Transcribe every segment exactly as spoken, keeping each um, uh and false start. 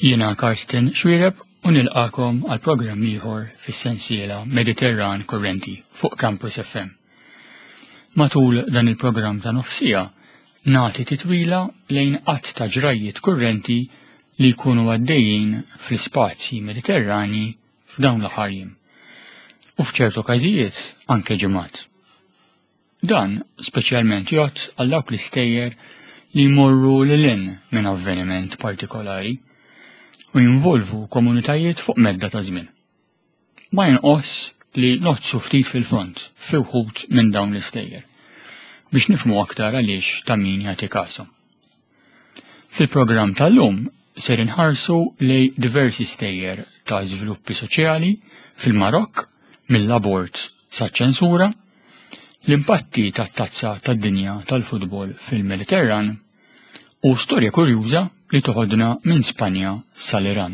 Jiena Karsten Xuereb u nilqakom għal programm ieħor fis-sensiela Mediterran Kurrenti fuq Campus F M. Matul dan il-programm ta' nofsija nagħti titwila lejn qatt ta' ġrajjiet kurrenti li jkunu għaddejjin fl-ispazji Mediterrani f'dawn l-aħħar jiem u f'ċertu każijiet anke ġimgħat. Dan speċjalment jgħodd għal dawk l-istejjer li jmorru lil hinn minn avveniment partikolari u jinvolvu komunitajiet fuq medda ta' żmien. Ma jinqos li noħodsu ftit fil-front fi wħud minn dawn l-istejjer biex nifhmu aktar għaliex ta' min jagħti kasu. Fil-programm tal-lum ser inħarsu lej diversi stejjer ta' żviluppi soċjali fil-Marokk, mill-abort sa' ċensura, l-impatti tat-tazza tad-dinja tal-futbol fil-Mediterran u storja kurjuża li toħodna minn Spanja sal-Iran.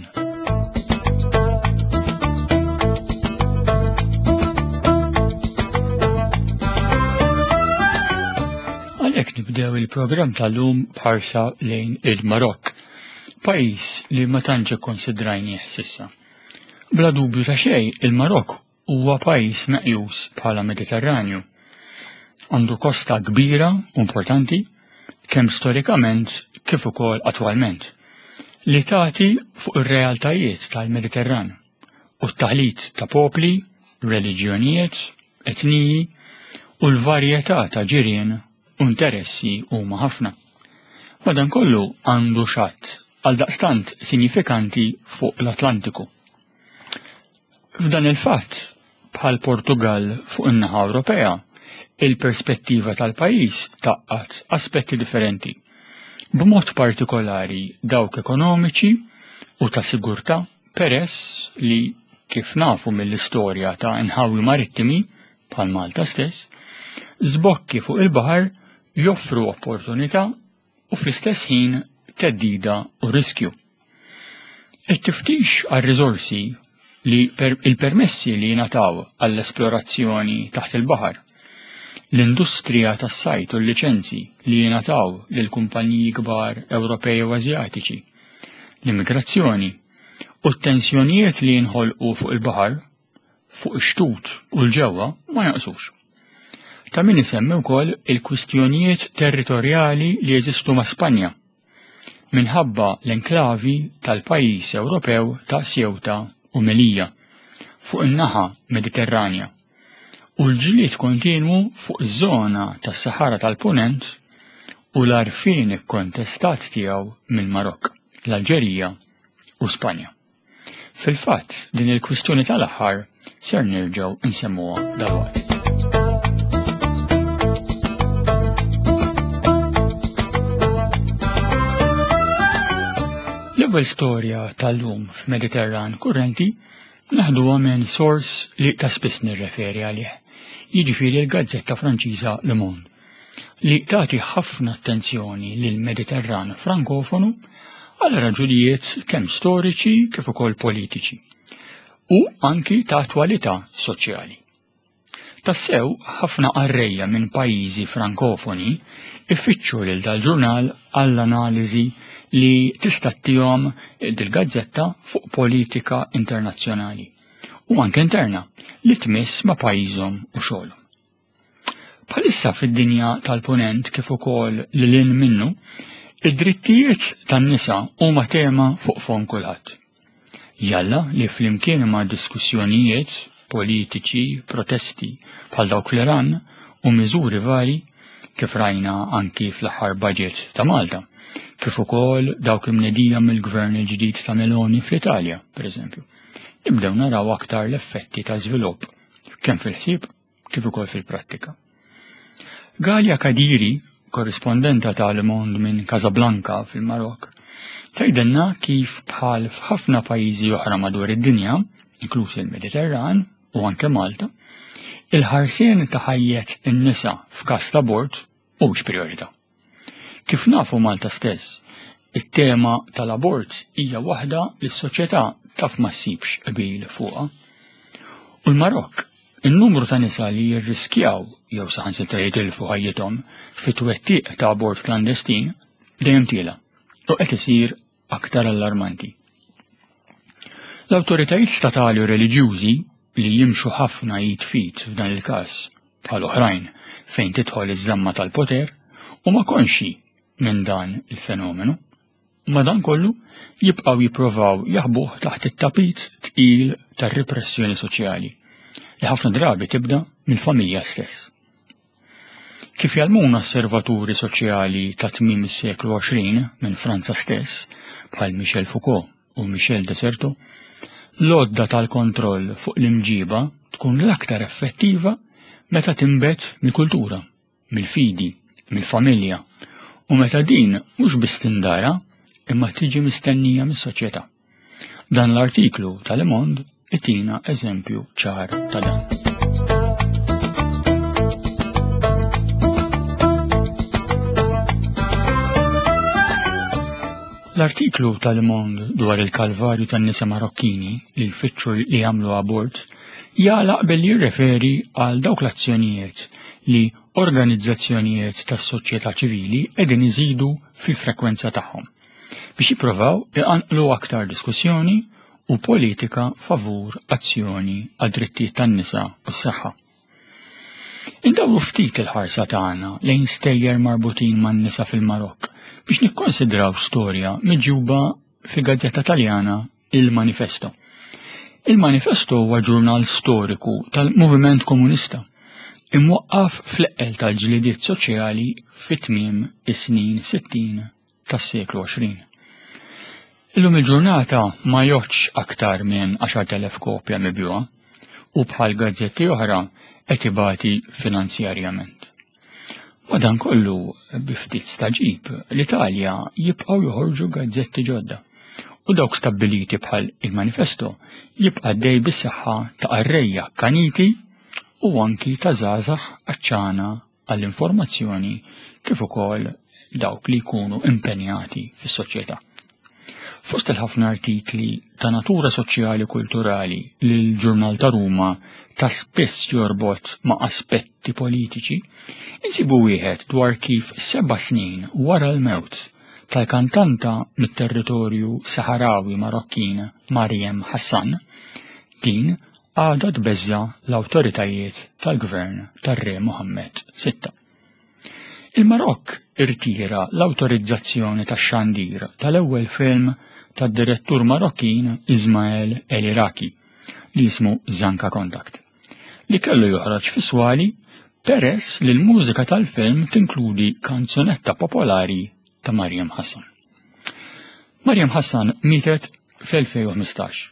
Għalhekk nibdew il-programm tal-lum b'ħarsa lejn il-Marokk, pajjiż li ma tantx ikkonsidrajnieh s'issa. Bla dubju ta' xejn, il-Marokk huwa pajjiż meqjus bħala Mediterranju. Għandu kosta kbira u importanti, kemm storikament kif ukoll attwalment, li tagħti fuq ir-realtajiet tal-Mediterran u t-taħlit ta' popli, reliġjonijiet, etniji u l-varjetà ta' ġirien u interessi huma ħafna. Madankollu għandu xatt għaldaqstant sinifikanti fuq l-Atlantiku. F'dan il-fatt, bħal Portugal fuq in-naħa Ewropea, il-perspettiva tal-pajjiż taqqat aspetti differenti, b'mod partikolari dawk ekonomiċi u ta' sigurtà, peress li kif nafu mill-istorja ta' inħawi marittimi bħal Malta stess, żbokki fuq il-baħar joffru opportunità u fl-istess ħin theddida u riskju. It-tiftix għar-riżorsi li per-, il-permessi li jingħataw għall-esplorazzjoni taħt il-baħar, l-industrija tas-sajt u l-liċenzi li jingħataw lil kumpaniji kbar Ewropej u Asjatiċi, l-immigrazzjoni u t-tensjonijiet li jinħolqu fuq il-baħar, fuq ix-xtut u l-ġewwa ma jaqsux. Ta' min isemmi wkoll il-kwistjonijiet territorjali li jeżistu ma' Spanja minħabba l-enklavi tal-pajjiż Ewropew ta' Ceuta u Melilla fuq in-naħa Mediterranja u l-ġlied kontinwu fuq iż-żona tas-Sahara tal-Punent u l-għarfien ikkontestat tiegħu mill-Marokk, l-Alġerija u Spanja. Fil-fatt, din il-kwistjoni tal-aħħar ser nerġgħu nsemmuha dalwaqt. L-ewwel storja tal-lum f'Mediterran Kurrenti naħduha minn sors li ta' spiss nirreferi għalih, jiġifieri l-gazzetta Franċiża Le Monde, li tagħti ħafna attenzjoni lill-Mediterran Frankofonu għal raġunijiet kemm storiċi kif ukoll politiċi u anki ta' attwalità soċjali. Tassew ħafna qarrejja minn pajjiżi frankofoni ifittxu lil dal-ġurnal għall-analiżi li tista' ttihom dil-gazzetta fuq politika internazzjonali u anke interna li tmiss ma' pajjiżhom u xogħolhom. Bħalissa fid-dinja tal-punent kif ukoll lil hinn minnu, id-drittijiet tan-nisa huma tema fuq fond kulħadd. Jalla li flimkien ma' diskussjonijiet politiċi, protesti bħal dawk l-Iran u miżuri vari kif rajna anki fl-aħħar budget ta' Malta, kif ukoll dawk imnedija mill-gvern il-ġdid ta' Meloni fl-Italja, pereżempju. Nibdew naraw aktar l-effetti ta' żvilupp kemm fil-ħsieb kif ukoll fil-prattika. Ghalia Kadiri, korrispondenta ta' Le Monde minn Casablanca fil-Marokk, tgħidilna kif bħal f'ħafna pajjiżi oħra madwar id-dinja, inkluż il-Mediterran u anke Malta, il-ħarsien ta' ħajjet in-nisa f'każ ta' abort mhux priorità. Kif nafu Malta stess, it-tema tal-abort hija waħda li s-soċjetà taf ma ssibx qbil fuqha. U l-Marokk, in-numru ta' nisa li jirriskjaw jew saħansitra jitilfu ħajjithom fit-twettiq ta' abort klandestin dejjem tiela u qed isir aktar allarmanti. L-awtoritajiet statali u reliġjużi li jimxu ħafna id f'id f'dan il-każ bħal oħrajn fejn tidħol iż-żamma tal-poter huma konxji minn dan il-fenomenu. Madankollu jibqgħu jipprovaw jaħbuh taħt it-tapit tqil tar-repressjoni soċjali li ħafna drabi tibda mill-familja stess. Kif jgħallmuna osservaturi soċjali ta' tmiem is-seklu għoxrin minn Franza stess, bħal Michel Foucault u Michel de Certeau, l-għodda tal-kontroll fuq l-imġiba tkun l-aktar effettiva meta tinbet mill-kultura, mill-fidi, mill-familja, u meta din mhux biss tindara imma tiġi mistennija mis-soċjetà. Dan l-artiklu ta' Le Monde itina eżempju ċar ta' dan. L-artiklu ta' Le Monde dwar il-kalvarju tan-nisa Marokkini li jfittxu li jagħmlu abort jagħlaq billi jirreferi għal dawk l-azzjonijiet li organizzazzjonijiet tas-soċjetà ċivili qegħdin iżidu fil-frekwenza tagħhom biex jippruvaw iqanqlu aktar diskussjoni u politika favur azzjoni għad-drittijiet tan-nisa u s-saħħa. Indawru ftit il-ħarsa tagħna lejn stejjer marbutin man-nisa fil-Marokk biex nikkonsidraw storja miġjuba fil-gazzetta Taljana Il Manifesto. Il Manifesto huwa ġurnal storiku tal-Moviment Komunista imwaqqaf fl-eqqel tal-ġlidiet soċjali fit-tmiem is-snin sittin tas-seklu għoxrin. Illum il-ġurnata ma joħodx aktar minn għaxart elef kopja mibjuha u bħal gazzetti oħra qed ibati finanzjarjament. Madankollu, bi ftit staġib, l-Italja jibqgħu joħorġu gazzetti ġodda u dawk stabbiliti bħal il-Manifesto jibqa' dej bis-saħħa ta' qarrejja kaniti u anki ta' żgħażagħ għaċċana għall-informazzjoni kif ukoll dawk li jkunu impenjati fis-soċjetà. Fost il-ħafna artikli ta' natura soċjali u kulturali li l-ġurnal ta' Ruma ta' spiss jorbot ma' aspetti politiċi, insibu wieħed dwar kif seba' snin wara l-mewt tal-kantanta mit-territorju Saharawi Marokkin Mariem Hassan, din għadha tbeżza l-awtoritajiet tal-gvern tar-Re Mohammed sitta. Il-Marokk irtira l-awtorizzazzjoni tax-xandir tal-ewwel film tad-direttur Marokkin Ismael El Iraki li jismu Zanka Contact, li kellu joħroġ fi swali peress li l-mużika tal-film tinkludi kanzunetta popolari ta' Mariem Hassan. Mariem Hassan mietet fl-elfejn u ħmistax,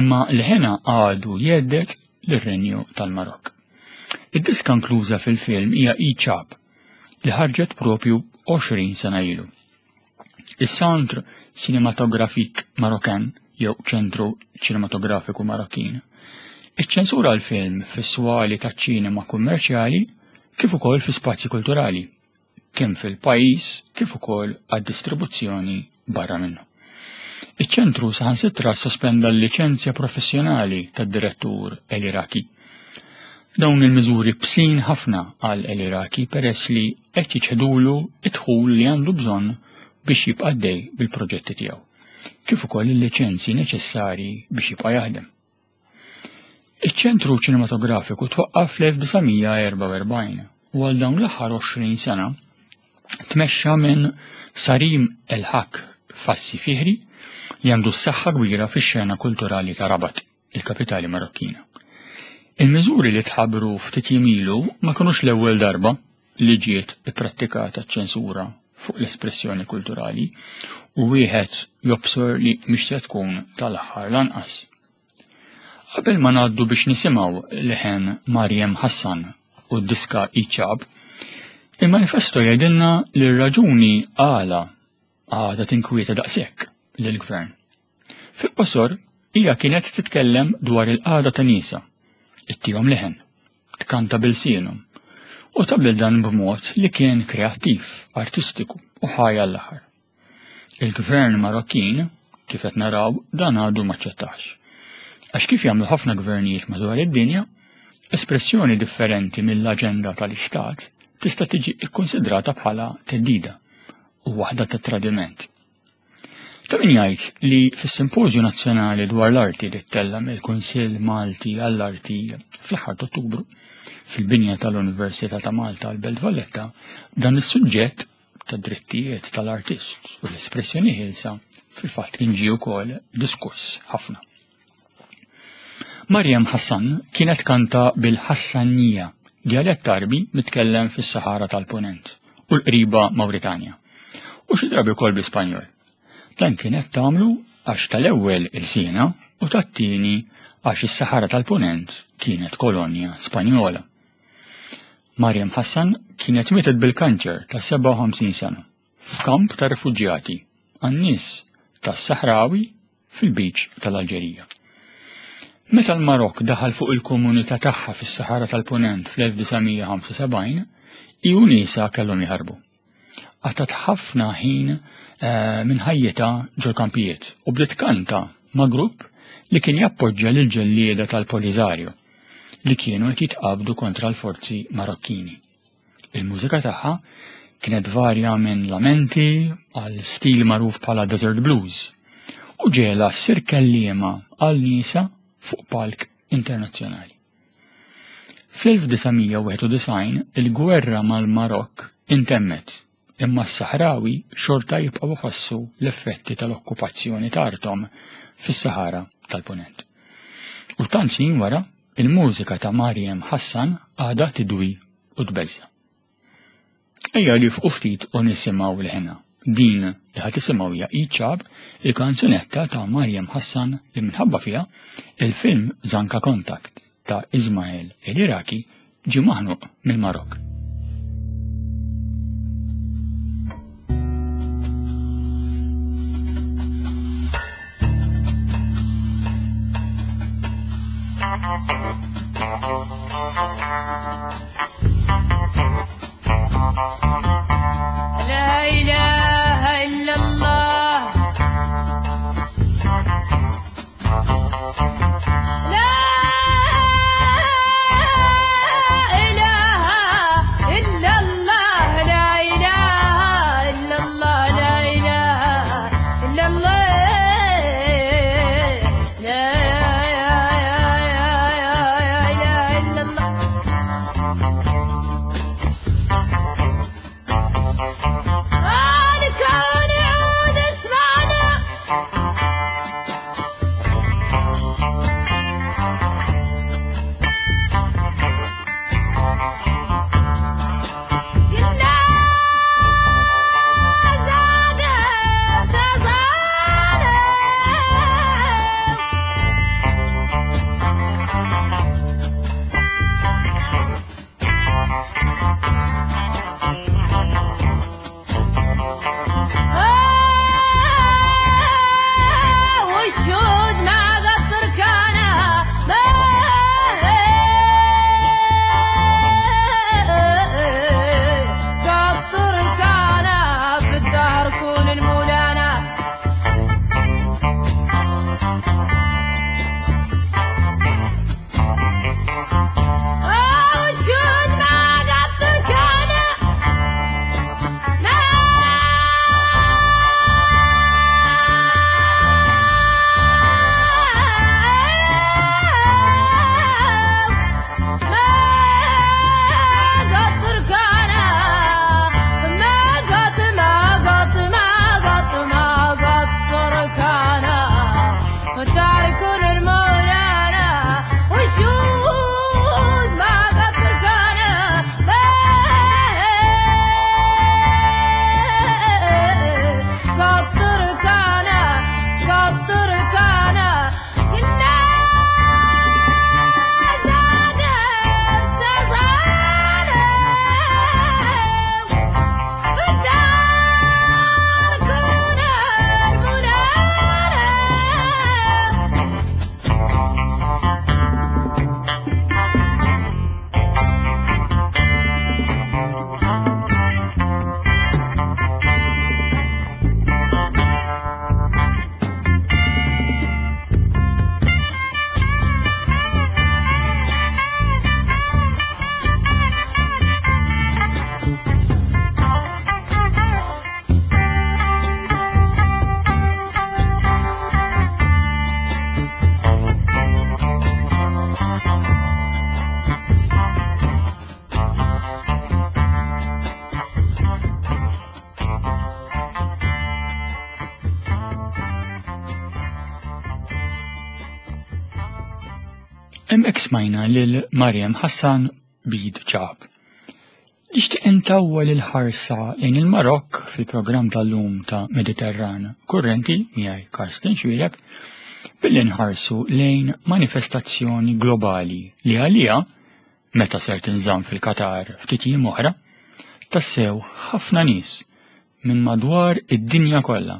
imma l-ħena għadu jgħeddet lir-Renju tal-Marokk. Id-diska inkluża fil-film hija E-Chab li ħarġet propju għoxrin sena ilu. Is-Centre Cinématographique Marocain, jew Ċentru Ċinematografiku Marokkin, iċċensura l-film fis-swali taċ-ċinema kummerċjali kif ukoll fi spazji kulturali, kemm fil-pajjiż kif ukoll għad-distribuzzjoni barra minnu. Iċ-ċentru saħansitra sospenda l-liċenzja professjonali tad-direttur El Iraki. Dawn il-miżuri bsin ħafna għal El Iraki peress li qed jiċħdulu id-dħul li għandu bżonn biex jibqa' għaddej bil-proġetti tiegħu, kif ukoll il-liċenzji neċessarji biex jibqa' jaħdem. Iċ-ċentru ċinematografiku twaqqaf fl-elf disa' mija erba' u erbgħin u għal dawn l-aħħar għoxrin sena tmexxa minn Sarim El Haq Fassi Fihri li għandu s-saħħa kbira fix-xena kulturali ta' Rabat, il-kapitali Marokkina. Il-miżuri li tħabbru ftit jiem ilu ma kinux l-ewwel darba li ġiet ipprattikata ċensura fuq l-espressjoni kulturali u wieħed jobsor li mhix se tkun tal-aħħar lanqas. Qabel ma ngħaddu biex nisimgħu leħen Mariem Hassan u d-diska Iċab, il-manifesto jgħidilna li r-raġuni għala għadha tinkwieta daqshekk lill-gvern. Fil-qosor, hija kienet titkellem dwar il-qagħda ta' nisa, ittihom leħen, tkanta bil-sienhom, u tagħmel dan b'mod li kien kreattiv, artistiku u ħaj għall-aħħar. Il-gvern Marokkin, kif qed naraw, dan għadu maċċettax. Għax kif jagħmlu ħafna gvernijiet madwar id-dinja, espressjoni differenti mill-aġenda tal-Istat tista' tiġi kkonsidrata bħala theddida u waħda ta' tradiment. Ta' min jgħid li fis-Simpożju Nazzjonali dwar l-Arti li ttella' mill-Kunsill Malti għall-Arti fl-aħħar ta' Ottubru fil-binja tal-Università ta' Malta għal-Belt Valletta, dan is-suġġett ta' drittijiet tal-artist u l-espressjoni ħielsa fil-fatt kien ġie wkoll diskuss ħafna. Mariam Hassan kienet kanta bil-Ħassanija, djalett Għarbi mitkellem fis-Sahara tal-Punent u l-qriba Mawritanja, u xi drabi wkoll bl-Ispanjol. Dan kienet tagħmlu għax tal-ewwel ilsiena u tat-tieni għax is-Sahara tal-Punent kienet kolonja Spanjola. Mariam Hassan kienet mietet bil-kanċer ta' sebgħa u ħamsin sena f'kamp ta' refuġjati għan-nies tas-Sahrawi fil-biċ tal-Alġerija. Meta l-Marok daħal fuq il-komunità tagħha fis-Sahara tal-Punent fl-elf disa' mija ħamsa u sebgħin, hi u niesha kellhom jaħarbu. Qatat ħafna ħin, eh, minn ħajjitha ġol-kampijiet u bdiet kanta ma' grupp li kien jappoġġja lil ġellieda tal-Polisario li kienu qed jitqabdu kontra l-forzi Marokkini. Il-mużika tagħha kienet varja minn lamenti għal stil magħruf bħala Desert Blues u ġiela ssir kelliema għal nisa fuq palk internazzjonali. Fl-elf disa' mija wieħed u disgħin il-gwerra mal-Marokk intemmet, imma s-Sahrawi xorta jibqgħu jħossu l-effetti tal-okkupazzjoni ta' arthom fis-Sahara tal-Punent. U tant snin wara, il-mużika ta' Mariam Hassan għadha tidwi u tbeżza. Ejja li fuq ftit u nisimgħu l-ħena. Din li ħad tisimgħu hija Iċab, il-kanzunetta ta' Mariam Hassan li minħabba fiha il-film Zanka Contact ta' Ismail El Iraki ġie maħnuq mill-Marokk. لا إله إلا الله. لا إله إلا الله. لا إله إلا الله. لا إله إلا الله. لا إله إلا الله. Hemmhekk smajna lil Mariam Hassan b'Id Chahab. Nixtieq intawwal il-ħarsa lejn il-Marokk fil-programm tal-lum ta' Mediterran Kurrenti miegħi Karsten Xuereb billi nħarsu lejn manifestazzjoni globali li għalija meta ser tinżamm fil-Qatar ftit jiem oħra tassew ħafna nies minn madwar id-dinja kollha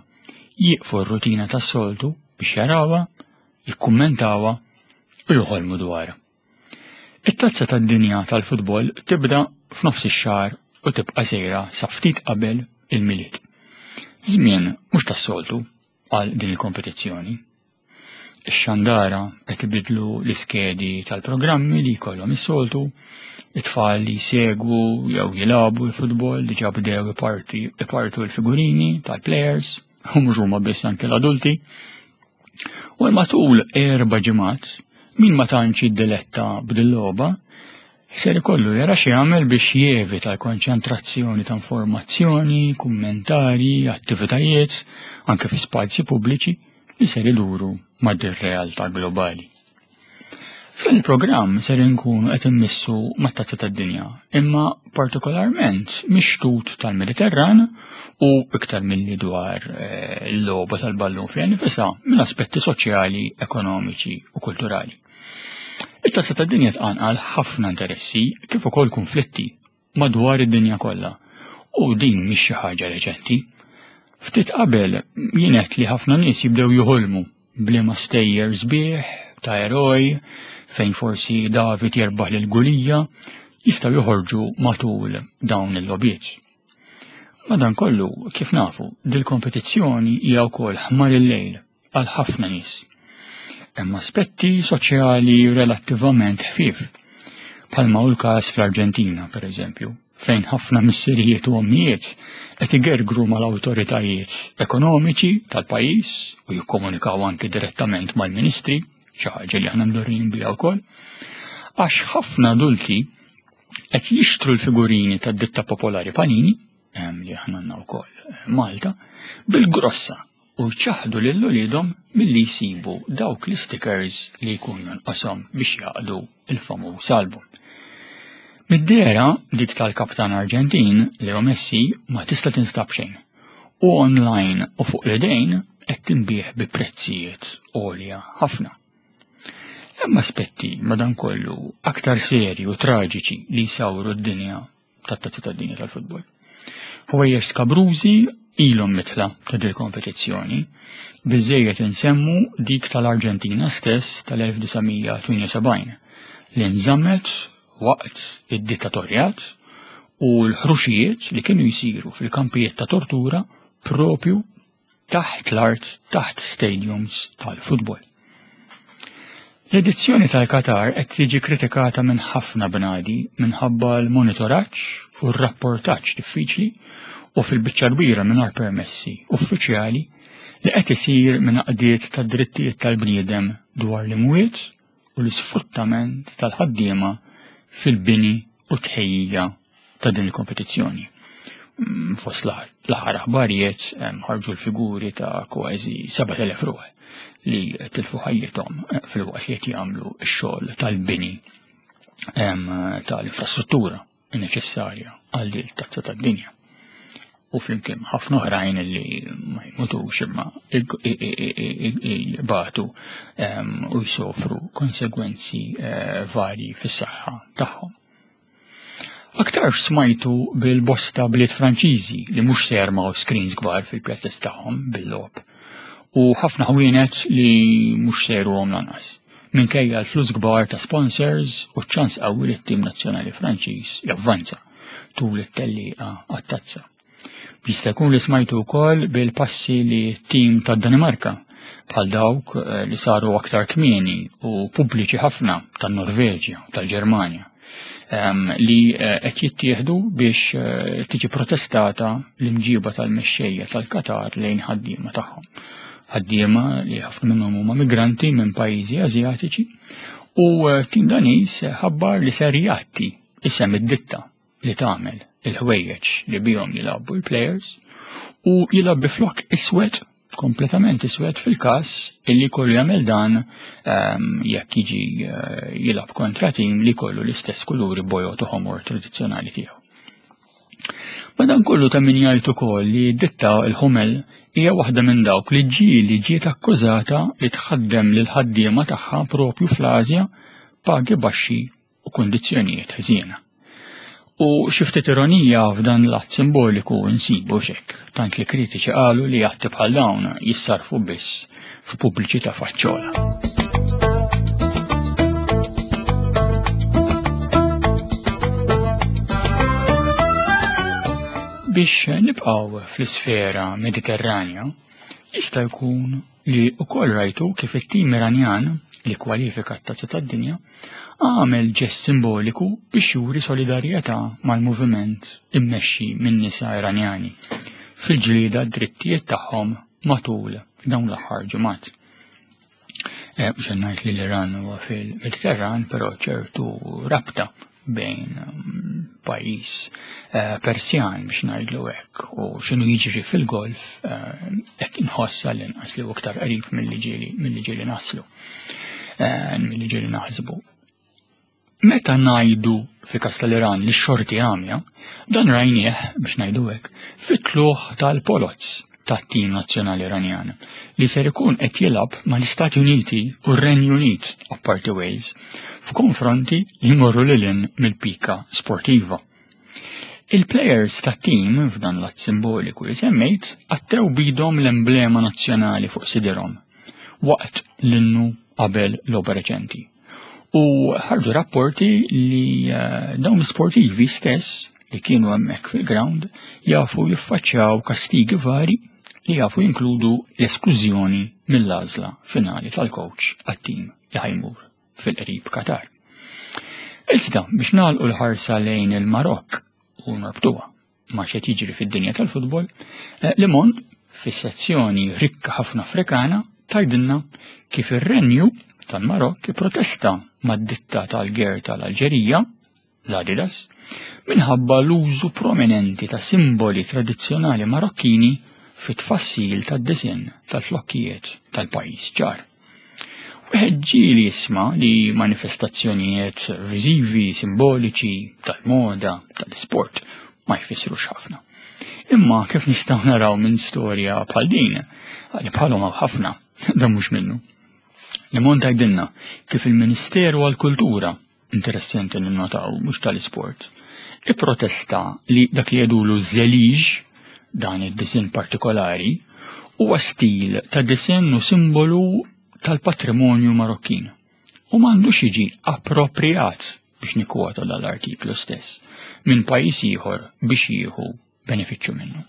jieqfu r-rutina tas-soltu biex jarawha, jikkummentawha u joħolmu dwarha. It-tazza tad-dinja tal-futbol tibda f'nofs ix-xahar u tibqa' sejra sa ftit qabel il-Milied. Żmien mhux tas-soltu għal din il-kompetizzjoni. Ix-xandara qed ibidlu l-iskedi tal-programmi li jkollhom is-soltu, it-tfal li jsegwu jew jilagħbu l-futbol diġà bdew iparti ipartu l-figurini tal-players, u mhux huma biss anke l-adulti. U matul erba' ġimgħat min ma tantx jiddiletta b'dil-logħba ser ikollu jara xi jagħmel biex jevita l-konċentrazzjoni ta' informazzjoni, kummentari, attivitajiet, anke fi spazji pubbliċi li ser iduru ma' dir-realtà globali. Fil-programm ser inkunu qed immissu mat-tazza tad-dinja, imma partikolarment mix-xtut tal-Mediterran u iktar milli dwar eh, il-logħba tal-ballun fiha nifisha minn aspetti soċjali, ekonomiċi u kulturali. It-tazza tad-dinja tqanqal ħafna interessi kif ukoll konflitti madwar id-dinja kollha u din mhix xi ħaġa reċenti. Ftit qabel jienet li ħafna nies jibdew joħolmu b'liema stejjer sbieħ ta' eroj fejn forsi David jerbaħ lil Gulija jistgħu joħorġu matul dawn il-logħbiet. Madankollu, kif nafu, dil-kompetizzjoni hija wkoll ħmar il-lejl għal ħafna nies. Hemm aspetti soċjali relattivament ħfief. Bħalma hu l-każ fl-Arġentina, per eżempju, fejn ħafna missirijiet u ommijiet qed igergru mal-awtoritajiet ekonomiċi tal-pajjiż u jikkomunikaw anki direttament mal-ministri, xi ħaġa li aħna mdorrijin biha wkoll, għax ħafna adulti qed jixtru l-figurini tad-ditta popolari Panini, li aħna għandna wkoll Malta, bil-grossa u jċaħdu lil uliedhom milli jsibu dawk l-stickers li jkunu nqoshom biex jaqdu il-famuż album. Mid-dehra dik tal-kaptan Arġentin, Leo Messi, ma tista' tinstab xejn. U online u fuq l-idejn qed tinbiegħ bi prezzijiet għolja ħafna. Hemm aspetti madankollu aktar serji u traġiċi li jsawru d-dinja tat-tazza tad-dinja tal-futbol. Ħwejjeġ skabrużi ilhom mitla ta' dil kompetizzjoni, biżejjed insemmu dik tal-Arġentina stess tal-elf disa' mija tmienja u sebgħin li nżammet waqt id-dittatorjat u l-ħruxijiet li kienu jsiru fil-kampijiet ta' tortura propju taħt l-art, taħt stadiums tal-futbol. L-edizzjoni tal-Qatar qed tiġi kritikata minn ħafna bnadi minħabba l-monitoraġġ u r-rapportaġġ diffiċli u fil-biċċa kbira mingħajr permessi uffiċjali li qed isir minn għaqdiet tad-drittijiet tal-bniedem dwar l-imwiet u l-isfruttament tal-ħaddiema fil-bini u tħejjija ta' din il-kompetizzjoni. Mm, fost l-aħħar aħbarijiet ħarġu l-figuri ta' kważi sebat elef ruħ li tilfu ħajjithom fil-waqt li qed jagħmlu x-xogħol tal-bini tal-infrastruttura neċessarja għal din it-tazza tad-dinja. U flimkien ħafna oħrajn li ma jmutux imma jbatu u jsofru konsegwenzi eh, varji fis-saħħa tagħhom. Aktar smajtu bil-bosta bliet Franċiżi li mhux se jarmaw screens kbar fil-pjazzez tagħhom bil-logħob u ħafna ħwienet li mhux se jruhom lanqas. Minkejja l-flus kbar ta' sponsors u ċans qawwi li t-tim nazzjonali Franċiż javvanza tul it-tellieqa għat-tazza. Jista' jkun li smajtu wkoll bil-passi li t-tim tad-Danimarka bħal dawk, eh, li saru aktar kmieni u pubbliċi ħafna tan-Norveġja u tal-Ġermanja, ehm, li, eh, qed jittieħdu biex, eh, tiġi protestata l-imġiba tal-mexxejja tal-Qatar lejn ħaddiema tagħhom. Ħaddiema li ħafna minnhom huma migranti minn pajjiżi Asjatiċi u, eh, tim Daniż ħabbar li ser jgħatti isem id-ditta li tagħmel il-ħwejjeġ li bihom jilagħbu l-players u jilgħab bi flok iswed kompletament iswed fil-każ illi kollu jagħmel dan ehm, jekk jiġi eh, jilgħab kontra tim li kollu l-istess kuluri bojod u ħomor tradizzjonali tiegħu. Madankollu ta' min jgħid ukoll li ditta il-Hummel hija waħda minn dawk li ġieli ġiet akkużata li tħaddem lil ħaddiema tagħha propju fl-Asja pagi baxxi u kundizzjonijiet ħżiena. U xi ftit ironija f'dan l-att simboliku nsibu xek, tant li kritiċi qalu li atti bħal dawn jissarfu biss f'pubbliċità faċċola. Biex nibqgħu fl-isfera Mediterranja, jista' jkun li wkoll rajtu kif it-tim Iranjan li kwalifika t-tazza tad-dinja għamel ġest simboliku biex juri solidarjetà mal-moviment immexxi minn nisa Iranjani fil-ġlieda drittijiet tagħhom matul dawn l-aħħar ġimgħat. Eh, mhux ngħid li l-Iran huwa fil-Mediterran, però ċertu rabta bejn mm, pajjiż eh, Persjan biex ngħidlu hekk u x'inhu jiġri fil-Golf eh, hekk inħossa l-inqas li hu aktar qrib milli ġieli milli ġieli naslu milli ġieli naħsbu. Meta ngħidu fil-każ tal-Iran li x-xorti għamja, dan rajnieh biex ngħidu hekk fit-tluħ tal-Polozz tat-tim nazzjonali Iranjan li ser ikun qed jilgħab mal-Istati Uniti u r-Renju Unit apparti Wales f'konfronti li jmorru lil hinn mill-pika sportiva. Il-players tat-tim f'dan l-att simboliku li semmejt għattew bidhom l-emblema nazzjonali fuq sidirhom waqt l-innu qabel logħba reċenti. U ħarġu rapporti li eh, dawn l-sportivi stess li kienu hemmhekk fil-ground jafu jiffaċċjaw kastigi vari li jafu jinkludu l-esklużjoni mill-għażla finali tal-coach għat-tim li ħa jmur fil-qrib Qatar. Iżda biex nagħlqu l-ħarsa lejn il-Marokk u norbtuha ma' x'qed jiġri fid-dinja tal-futbol, eh, Le Monde fis-sezzjoni rikka ħafna Afrikana tgħidilna kif ir-renju tal-Marokk protesta mad-ditta tal-ger tal-Alġerija, l-Adidas, minħabba l-użu prominenti ta' simboli tradizzjonali Marokkini fit-tfassil tad-disinn tal-flokkijiet tal-pajjiż ġar. Wieħed ġieli jisma' li manifestazzjonijiet viżivi, simboliċi, tal-moda, tal-isport ma jfissrux ħafna. Imma kif nistgħu naraw minn storja bħal din, li bħalhom hawn ħafna, dan mhux minnu. Le Monde tgħidilna kif il-Ministeru għall-Kultura, interessanti ninnotaw mhux tal-isport, ipprotesta li dak li jgħidulu żeliġ, dan id-disinn partikolari, huwa stil ta' disinn u simbolu tal-patrimonju Marokkin u m'għandux jiġi appropriat biex nikkwota dal-artiklu stess minn pajjiż ieħor biex jieħu benefiċċju minnu.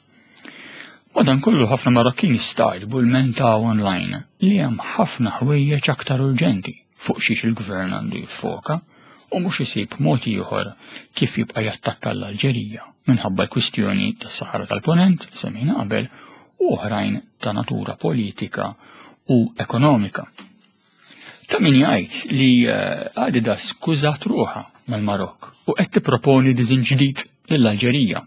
Madankollu ħafna Marokkin jistagħġbu lmentaw online li hemm ħafna ħwejjeġ aktar urġenti fuq xiex il-gvern għandu jiffoka u mhux isib mod ieħor kif jibqa' jattakka l-Alġerija minħabba l-kwistjoni tas-Saħara tal-Ponent li semmejna qabel u oħrajn ta' natura politika u ekonomika. Ta' min jgħid li eh, Adidas skużat ruħha mal-Marokk u qed tipproponi diżin ġdid lill-Alġerija.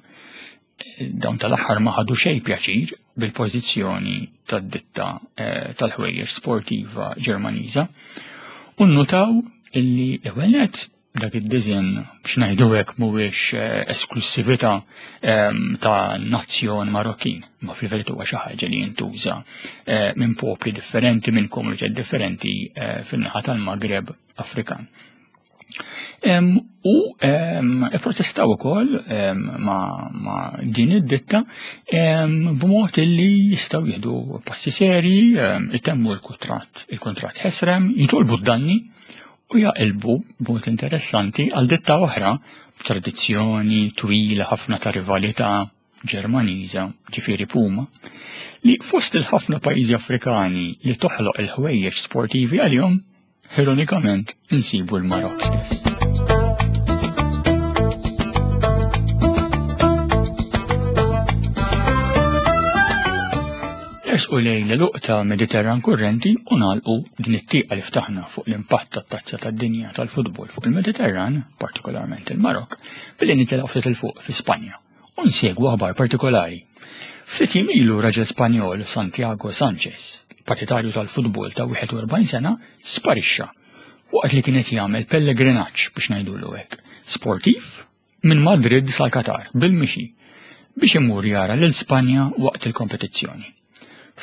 Dawn tal-aħħar ma ħadu xejn pjaċir bil-pożizzjoni tad-ditta eh, tal-ħwejjeġ sportiva Ġermaniża u nnutaw illi l-ewwel nett dak id-disinn biex ngħidu hekk mhuwiex eh, esklusività ehm, ta' nazzjon Marokkin, ma fil-verità huwa xi ħaġa li jintuża eh, minn popli differenti, minn komunitajiet differenti eh, fin-naħa tal-Magreb Afrikan. Em, U em, ipprotestaw ukoll em, ma, ma din id-ditta em, b'mod li jistgħu jieħdu passi serji, em, itemmu l-kuntratt il-kuntratt ħesrem, jitolbu d-danni u jaqilbu b'mod interessanti għal ditta oħra b'tradizzjoni twila ħafna ta' rivalità Ġermaniża, ġifieri Puma, li fost il-ħafna pajjiżi Afrikani li toħloq il-ħwejjeġ sportivi għalihom, ironikament insibu l-Marokk stess. Nersqu lejn l-għeluq ta' Mediterran Kurrenti u nagħlqu din it-tieqa li ftaħna fuq l-impatt tat-tazza tad-dinja tal-futbol fuq il-Mediterran, partikolarment il-Marokk, billi nitilgħu ftit il fuq fi Spanja u nsegwu aħbar partikolari. Ftit jiem ilu raġel Spanjol Santiago Sanchez, partitarju tal-futbol ta' wieħed u erbgħin sena, sparixxa waqt li kien qed jagħmel pellegrinaġġ, biex ngħidulu hekk, sportiv minn Madrid sal-Qatar bil-mixi biex imur jara lil Spanja waqt il-kompetizzjoni.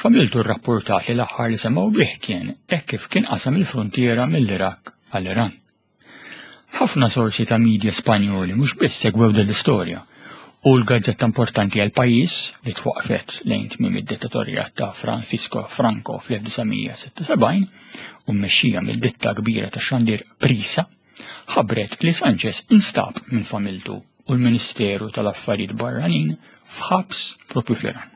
Familtu rrapportat li l-aħħar li semgħu bih kien hekk kif kien qasam il-frontiera mill-Irak għall-Iran. Ħafna sorsi ta' media Spanjoli mhux biss segwew din l-istorja u l-gazzetta importanti għal pajjiż li twaqfet lejn tmiem id-dittatorja ta' Francisco Franco fl-elf disa' mija sitta u sebgħin u mmexxija mill-ditta kbira ta' xandir Prisa, ħabbret li Sanchez instab minn familtu u l-Ministeru tal-Affarijiet Barranin f'ħabs propju fl-Iran.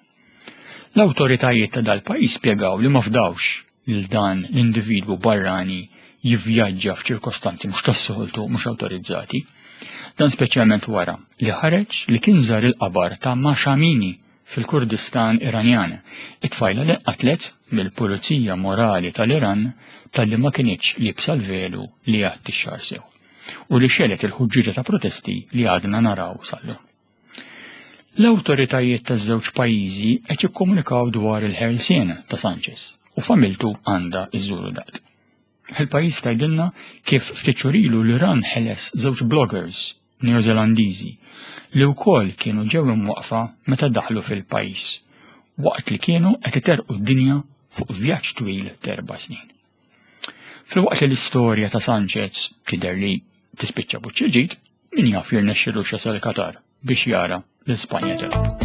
L-awtoritajiet ta' dal-pajjiż spjegaw li ma fdawx lil dan l-individwu barrani jivvjaġġa f'ċirkostanzi mhux tas-soltu, mhux awtorizzati. Dan speċjalment wara li ħareġ li kien żar il-qabar ta' Mahsa Amini fil-Kurdistan Iranjan, it-tfajla li qatlet mill-Pulizija Morali tal-Iran talli ma kinitx liebsa l-velu li jgħatti x-xagħar sew u li xegħlet il-ħuġġieġa ta' protesti li għadna naraw sal-lum. L-awtoritajiet taż-żewġ pajjiżi qed jikkomunikaw dwar il-ħelsien ta' Sanchez u familtu għandha iżuru dat. Il-Pajjiż tgħidilna kif ftit xhur ilu l-Iran ħeles żewġ bloggers Neozelandiżi li wkoll kienu ġew imwaqfa meta daħlu fil-pajjiż waqt li kienu qed iterqu d-dinja fuq vjaġġ twil t'erba' snin. Filwaqt li l-istorja ta' Sanchez tidher li tispiċċa b'wiċċ il-ġid, min jaf jirnexxilu jasal Qatar biex jara l-Ispanja tilgħab.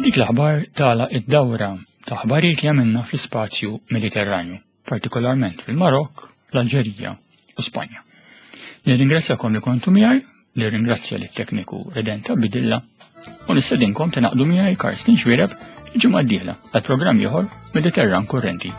Dik l-aħbar tagħlaq id-dawra ta' aħbarijiet li għamilna fl-ispazju Mediterranju, partikolarment fil-Marok, l-Alġerija u Spanja. Nirringrazzjakom li kontu miegħi, nirringrazzja lit-tekniku Redenta Bidilla u nistedinkom tingħaqdu miegħi, Karsten Xuereb, il-ġimgħa d-dieħla għal programm ieħor Mediterran Kurrenti.